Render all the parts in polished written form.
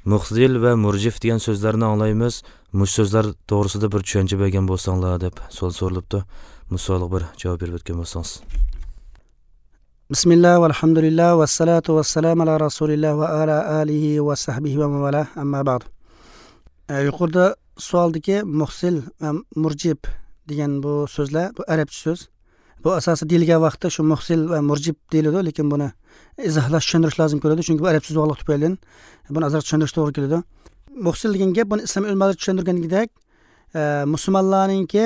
Muxzil va murjif degan so'zlarni anglaymiz. Mush so'zlar to'g'risida bir tushuncha bergan bo'lsanglar deb savol so'ralibdi. Bu savolga bir javob berib o'tgan bo'lsangiz. Bismillah valhamdulillah vassalatu vassalamu ala rasulillah va ala alihi va sahbihi va man amma ba'd. Yuqorida savoldagi muhsil va murjib degan bu so'zlar, bu arabcha so'z. Bu asosiy deyilgan vaqtda shu muhsil va murjib deyiladi, lekin buni izohlash, tushuntirish lozim keladi, chunki bu arab so'zi bo'lganligi tufayli buni ozroq tushuntirish to'g'ri keladi. Muhsil degan gap buni islom ulamolari tushuntirgandek, musulmonlarninki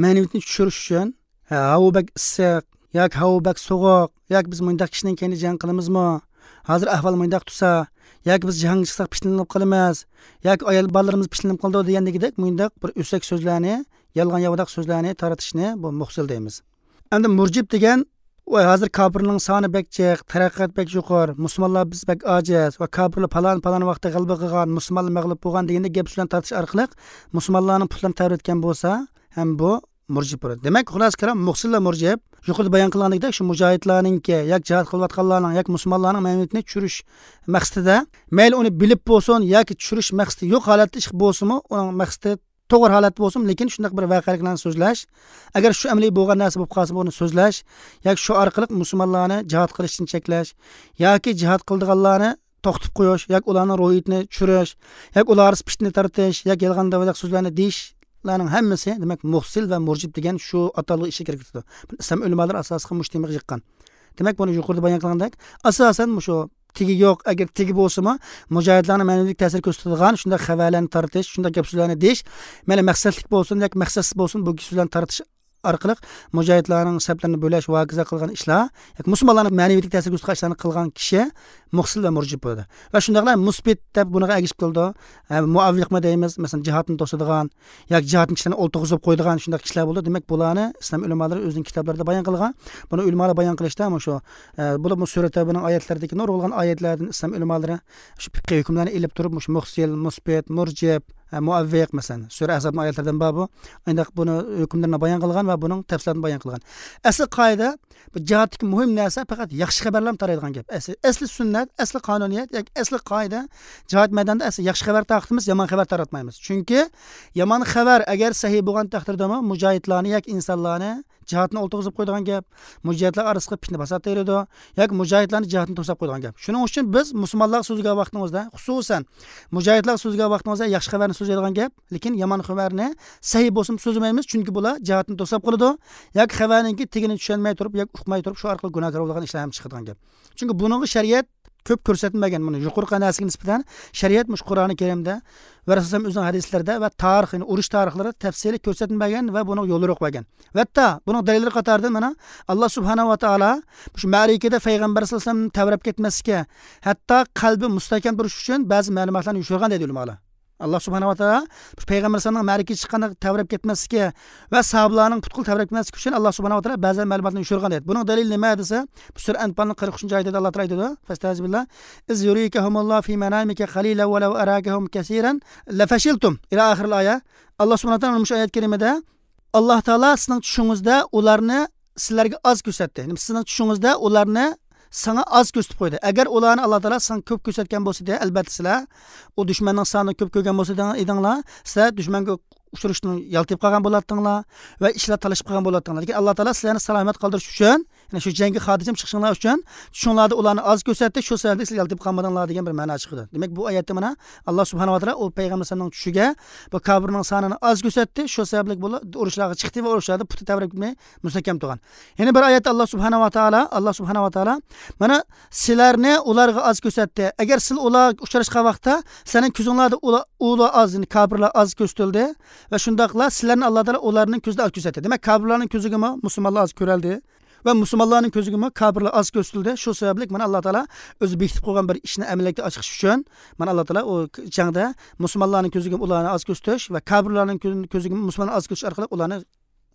ma'naviyatini tushirish uchun havo bak issiq yoki havo bak sovuq yoki biz bundaq kishining keyin jang qilamizmi, hozir ahvol bundaq tursa yoki biz jangga chiqsak pishlanib qolamiz yoki ayol bolalarimiz pishlanib qoldi degandek bundaq bir o'sak so'zlarni, yolg'on yovdaq so'zlarni taratishni bu muhsil deymiz. Endi murjib degan voy hozir kofirning soni bak jiq, taraqqiyot bak yuqori, musulmonlar biz bak ojiz va kofirlar falon falon vaqtda g'alaba qilgan, musulmonlar mag'lub bo'lgan deganda gap so'zlarni tartish orqali musulmonlarning putlarini tavratgan bo'lsa ham bu murjib bo'ladi. Demak, xulosa kalom muhsil va murjib yuqorida bayon qilgandek shu mujohidlarninki yoki jihad qilayotganlarning yoki musulmonlarning ma'naviyatini tushirish maqsadida, mayli uni bilib bo'lsin yoki tushirish maqsadi yo'q holatda ish bo'lsinmi, uning maqsadi to'g'ri holat bo'lsin, lekin shunday bir voqeliklarni so'zlash, agar shu amaliy bo'lgan narsa bo'lib qolsa buni so'zlash yoki shu orqali musulmonlarni jihad qilishdan cheklash yoki jihad qildiganlarni to'xtatib qo'yish yoki ularning ruhiyatini tushirish yoki ular fitna tartish yoki yolg'on davlat so'zlarni deyishlarning hammasi demak muhsil va murjib degan shu atalg'i ishga kirib ketadi. Islom ulamolari asosan mujtamiga yiqqan. Demak, buni yuqorida bayon qilgandek, asosan shu tegi yo'q, agar tegi bo'lsa-mu mujohidlarning ma'naviy ta'sir ko'rsatadigan shunday xabarlarni tartish, shunday gap so'zlarni deyish, mana maqsadlik bo'lsin yoki maqsadsiz bo'lsin bu so'zlarni tartish orqali mujohidlarning saflarini bo'lash va hokazo qilgan ishlar yoki musulmonlarning ma'naviy ta'sir ko'rsatgan ishlarni qilgan kishi muhsil va murjib bo'ladi. Va shundaqla musbit deb bunaqa agishib keldi. Muavviqma deymiz, masalan jihatni to'sadigan yoki jihatni kishilarni o'ltirg'izib qo'yadigan shunday kishilar bo'ldi. Demak, bularni islom ulamolari o'zining kitoblarida bayon qilgan. Buni ulamolar bayon qilishda shu bular sura Tavbaning oyatlaridagi nurg'ulgan oyatlardan islom ulamolari shu fiqh hukmlarini ilib turib shu muhsil, musbit, murjib, muavviq masalan sura Ahzobning oyatlaridan bor bu. Endi buni hukmlarini bayon qilgan va buning tafsilotini bayon qilgan. Asl qoida bu jihatdagi muhim narsa faqat yaxshi xabarlar taraydigan gap. Asli sunnat, asli qonuniyat yoki asli qoida jihat maydonida asli yaxshi xabar tarqatamiz, yomon xabar taratmaymiz. Chunki yomon xabar agar sahiy bo'lgan taqdirdami mujohidlarni yoki insonlarni jihatni o'ltirg'izib qo'ydigan gap, mujohidlar orasida fitna fasod teradi yoki mujohidlarni jihatni to'sab qo'ydigan gap. Shuning uchun biz musulmonlar so'ziga vaqtimizda, xususan mujohidlar so'ziga vaqtimizda yaxshi xabarni so'zlaydigan gap, lekin yomon xabarni sahiy bo'lsin so'zlamaymiz, chunki bular jihatni to'sab qoladi yoki xabarninki tegini tushunmay turib yoki uqmay turib shu orqali gunohkor bo'lgan ishlar ham chiqadigan gap. Chunki buning shariat ko'p ko'rsatilmagan, buni yuqorqi narsaga nisbatan shariat mush Qur'oni Karimda va Rasululloh o'zining hadislarida va tarix, ya'ni urush tarixlarida tafsili ko'rsatilmagan va buni yo'li qo'ygan. Va hatto buning dalillari qatorida mana Alloh subhanahu va taolo shu ma'rikada payg'ambar sollallohu alayhi vasallam tavrab ketmaslikka, hatto qalbi mustahkam turish uchun ba'zi ma'lumotlarni yushirgan deydi ulamolar. Alloh subhanahu va taolo payg'ambar sollallohu alayhi vasallamning ma'rikaga chiqqanda tavrab ketmasligi va sahobalarning putqul tavrab ketmasligi uchun Alloh subhanahu va taolo ba'zi ma'lumotlarni yushirgan deydi. Buning dalili nima desa, bu sura Anfalning 43-oyatida Alloh taolo aytadi: "Fastazbillah iz yurikahumullohu fi manamika qalilan va law arakahum kaseeran lafashiltum" ila oxiril oya. Alloh subhanahu va taolo shu oyat karimada Alloh taolo sizning tushingizda ularni sizlarga oz ko'rsatdi. Ya'ni sizning tushingizda ularni sana az ko'rsatib qo'ydi. Agar ularni Alloh taolo sana ko'p ko'rsatgan bo'lsa, albatta sizlar u dushmanning sonini ko'p ko'rgan bo'lsa edinglar, sizlar dushmanga uchrashdan yaltib qolgan bo'lardinglar va ishlar talashib qolgan bo'lardinglar. Lekin Alloh taolo sizlarni salomat qoldirish uchun, ya'ni shu jangga xotirjam chiqishinglar uchun tushinglarda ularni oz ko'rsatdi, shu sababli sizlar yaltib qolmadinglar degan bir ma'no chiqdi. Demak, bu oyatda mana Alloh subhanahu va taolo u payg'ambarning tushiga bu kofirning sonini oz ko'rsatdi, shu sababli bular urushlarga chiqdi va urushlarda puti tavrab ketmay mustahkam turgan. Yana bir oyatda Alloh subhanahu va taolo, Alloh subhanahu va taolo mana sizlarni ularga oz ko'rsatdi. Agar siz ular uchrashgan vaqtda sening ko'zinglarda ular oz, ya'ni kofirlar oz ko'rsatildi va shundaqla sizlarni Alloh taolo ularning ko'zida oz ko'rsatdi. Demak, kofirlarning ko'ziga musulmonlar oz ko'raldi va musulmonlarning ko'ziga kofirlar oz ko'rsatildi. Shu sababli mana Alloh taolo o'zi bekitib qo'ygan bir ishni amalga oshirish uchun mana Alloh taolo u jangda musulmonlarning ko'ziga ularni oz ko'rsatish va kofirlarning ko'ziga musulmonlarni oz ko'rsatish orqali ularni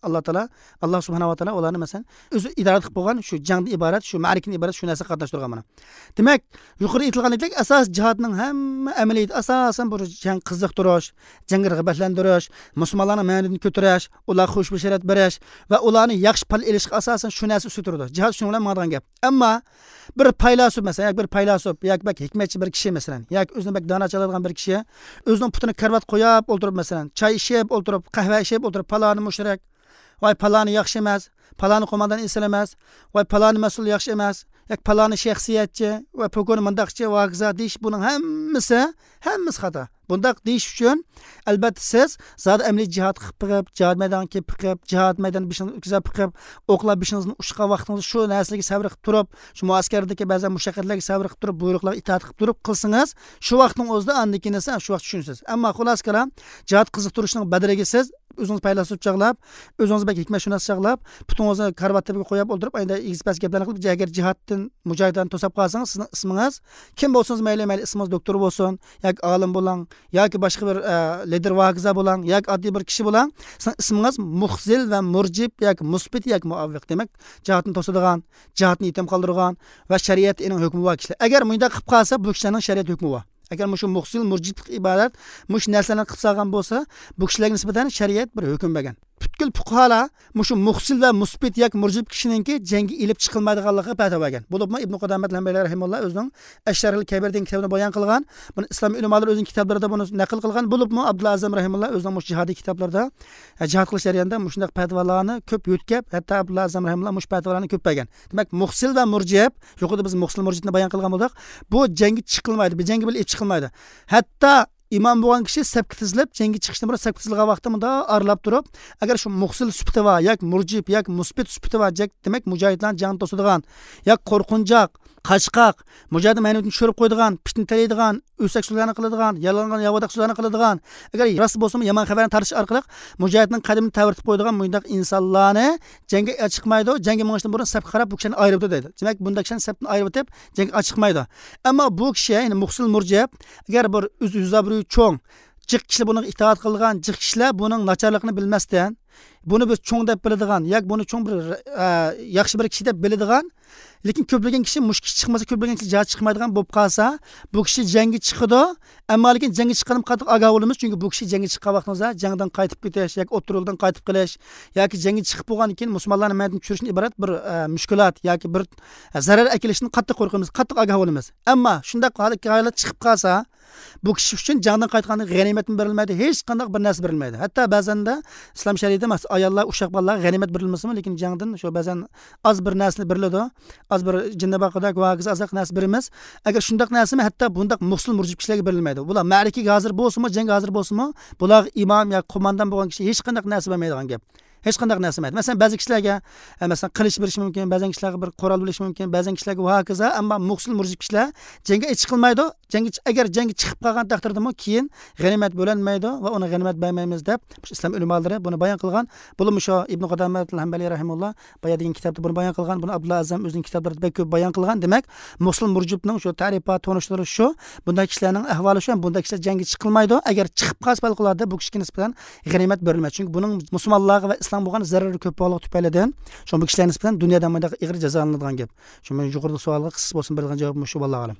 Alloh taolo, Alloh subhanahu va taolo ularni masalan o'zi idora qilib qo'ygan shu jangdan iborat, shu ma'rikadan iborat shu narsa qatnashtirgan mana. Demak, yuqorida aytilgandek asos jihodning hamma amaliyati asosan bu jang qiziqtirish, jangga rag'batlantirish, musulmonlarning ma'naviyatini ko'tarish, ularga xush bashorat berish va ularni yaxshi pal ilishga asosan shu narsa ustida turadi. Jihod shu bilan ma'nodan gap. Ammo bir faylasuf masalan, yoki bir faylasuf, yoki bak hikmatchi bir kishi masalan, yoki o'zini bak dono chaladigan bir kishi o'zining putini karvat qo'yib o'ltirib masalan, choy ichib o'ltirib, qahva ichib o'ltirib, paloni mushrik, voy paloni yaxshi emas, paloni qo'mondan inson emas, voy paloni mas'ul yaxshi emas, yoki paloni shaxsiyatchi va pokoni mundaqchi va hokazo deyish, buning hammasi xato. Bundaq deyish uchun albatta siz zot amaliy jihod qilib biqib, jihod maydoniga kelib biqib, jihod maydoni beshingizni o'tkazib biqib, o'qlar beshingizni uchgan vaqtingiz shu narsalarga sabr qilib turib, shu muaskardagi ba'zan mushaqqatlarga sabr qilib turib, buyruqlarga itoat qilib turib qilsangiz, shu vaqtning o'zida andiki narsa shu vaqt tushunsiz. Ammo xulosa kalom, jihod qiziqtirishning badaliga siz o'zingiz faylasuf chaqlab, o'zingiz bak hikmatshunos chaqlab, putingizni karvat tabiga qo'yib o'ldirib, endi egis-pas gaplarni qilib, agar jihoddan mujohiddan to'sab qolsangiz, sizning ismingiz kim bo'lsangiz mayli, mayli ismingiz doktor bo'lsin, yoki olim bo'ling, yoki boshqa bir lider va hokazo bo'ling, yoki oddiy bir kishi bo'ling, sizning ismingiz muhzil va murjib yoki musbit yoki muavviq. Demak, jihodni to'sadigan, jihodni yetim qoldirgan va shariatning hukmi bor kishilar. Agar bunday qilib qolsa, bu kishilarning shariat hukmi bor. Agar mushu muhsil murjiblik iborat mush narsalarni qilib solgan bo'lsa, bu kishilarga nisbatan shariat bir hukm bergan. Butkul fuqarolar mushu muhsil va musbit yoki murjib kishininki jangga ilib chiqilmaydiganligi fatvo bergan. Bo'libmi Ibn Qudomat Hanbali rahimahulloh o'zining Ash-Sharhul Kabir degan kitobida bayon qilgan. Buni islom ulamolari o'zining kitoblarida buni naql qilgan. Bo'libmi Abdullah Azam rahimahulloh o'zining mush jihodiy kitoblarida jihod qilish jarayonida mushundaq fatvolarni ko'p yo'tkab, hatto Abdullah Azam rahimahulloh mush fatvolarni ko'p bergan. Demak, muhsil va murjib, yuqorida biz muhsil murjibni bayon qilgan bo'ldik. Bu jangga chiqilmaydi, bu jangga bilib chiqilmaydi. Hatto imom bo'lgan kishi sapga tizilib, jangga chiqishdan burun sapga tizilgan vaqtda bunda aralab turib, agar shu muhsil sifati va yoki murjib yoki musbit sifati va demak mujohidlarni jangni to'sadigan, yoki qo'rqinchoq, qochqoq, mujohid ma'naviyatini tushirib qo'yadigan, fitna talaydigan, o'sak so'zlarni qiladigan, yolg'on yovadaq so'zlarni qiladigan, agar rost bo'lsa yomon xabarni tartish orqali mujohidning qadimini tavirtib qo'yadigan bunday insonlarni jangga chiqmaydi, jangga mingishdan burun sapga qarab bu kishini ayirib deydi. Demak, bunday kishini sapdan ayirib o'tib jangga chiqmaydi. Ammo bu kishi, ya'ni muhsil murjib, agar bir o'z yuz obro'yi cho'ng, jiq kishilar buni itoat qilgan, jiq kishilar buning nacharligini bilmasdan, buni biz cho'ng deb biladigan, yoki buni cho'ng bir yaxshi bir kishi deb biladigan, lekin ko'plagan kishi mush kishi chiqmasa, ko'plagan kishi jihad chiqmaydigan bo'lib qolsa, bu kishi jangga chiqadi, ammo lekin jangga chiqqanim qattiq ogoh bo'lamiz, chunki bu kishi jangga chiqqan vaqtimizda jangdan qaytib ketish yoki o'ttirildan qaytib qilish yoki jangga chiqib bo'lgandan keyin musulmonlarning ma'naviyatini tushirishdan iborat bir mushkulat yoki bir zarar akilishdan qattiq qo'rqamiz, qattiq ogoh bo'lamiz. Ammo shunday holat chiqib qolsa, bu kishi uchun jangdan qaytganda g'animatmi berilmaydi, hech qanday bir narsa berilmaydi. Hatto ba'zanda islom shariatida emas, ayollar, uşaq bolalar g'animat berilmasmi, lekin jangdan shu ba'zan oz bir narsa beriladi, oz bir jinni baqadak va hokazo ozroq narsa beramiz. Agar shundoq narsami, hatto bundaq muhsil murjib kishilarga berilmaydi. Bular ma'rikaga hozir bo'lsinmi, jangga hozir bo'lsinmi, bular imom yoki qo'mondan bo'lgan kishi hech qanday narsa bermaydigan gap. Hech qanday narsa bermaydi. Masalan, ba'zi kishilarga masalan qilich berish mumkin, ba'zi kishilarga bir qurol berish mumkin, ba'zi kishilarga va hokazo, ammo muhsil murjib kishilar jangga chiqilmaydi. Jangga agar jangga chiqib qolgan taqdirdami keyin g'animat bo'linmaydi va uni g'animat bermaymiz deb islom ulamolari buni bayon qilgan. Buni shu Ibn Qudomat Hanbali rahimahulloh boya degan kitobda buni bayon qilgan, buni Abdullah Azam o'zining kitoblarida bek ko'p bayon qilgan. Demak, muhsil murjibning shu ta'rifat tonishlari shu, bunday kishilarning ahvoli shu, bunday kishilar jangga chiqilmaydi. Agar chiqib qolsa favqulodda bu kishiga nisbatan g'animat berilmaydi. Chunki buning musulmonlarga va islom bo'lgan zarari ko'p bo'lganligi tufaylidan shu bu kishilar nisbatan dunyoda bunday ig'ir jazolanadigan gap. Shu men yuqorida savolga qisqa bo'lsin berilgan javob shu, vallohu alam.